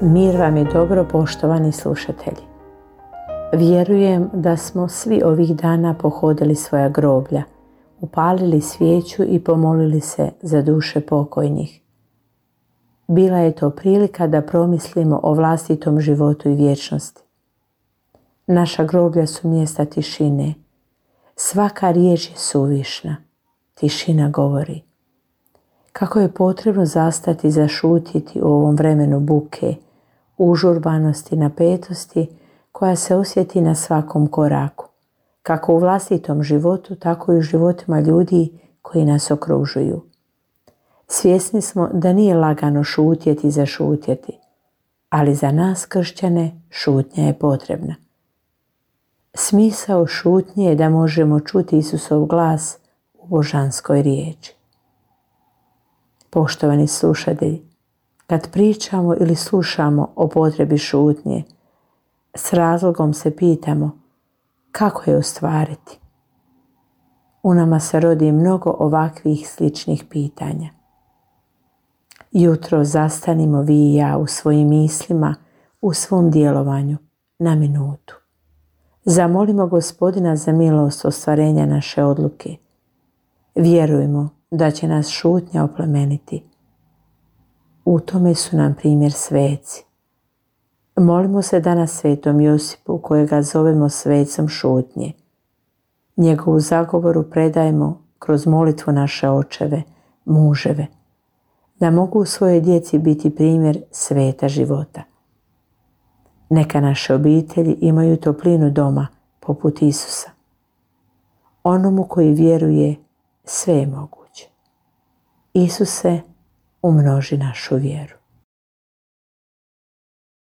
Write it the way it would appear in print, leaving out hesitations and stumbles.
Mir vam je dobro, poštovani slušatelji. Vjerujem da smo svi ovih dana pohodili svoja groblja, upalili svijeću i pomolili se za duše pokojnih. Bila je to prilika da promislimo o vlastitom životu i vječnosti. Naša groblja su mjesta tišine. Svaka riječ je suvišna. Tišina govori. Kako je potrebno zastati i zašutjeti u ovom vremenu buke, užurbanosti, napetosti koja se osjeti na svakom koraku, kako u vlastitom životu, tako i u životima ljudi koji nas okružuju. Svjesni smo da nije lagano šutjeti i zašutjeti, ali za nas kršćane šutnja je potrebna. Smisao šutnje je da možemo čuti Isusov glas u božanskoj riječi. Poštovani slušatelji, kad pričamo ili slušamo o potrebi šutnje, s razlogom se pitamo kako je ostvariti. U nama se rodi mnogo ovakvih sličnih pitanja. Jutro zastanimo vi i ja u svojim mislima, u svom djelovanju, na minutu. Zamolimo Gospodina za milost ostvarenja naše odluke. Vjerujmo da će nas šutnja oplemeniti. U tome su nam primjer sveci. Molimo se danas svetom Josipu, kojega zovemo svecom šutnje. Njegovu zagovoru predajemo kroz molitvu naše očeve, muževe, da mogu svojoj djeci biti primjer sveta života. Neka naše obitelji imaju toplinu doma poput Isusa. Onomu koji vjeruje, sve je moguće. Isuse, umnoži našu vjeru.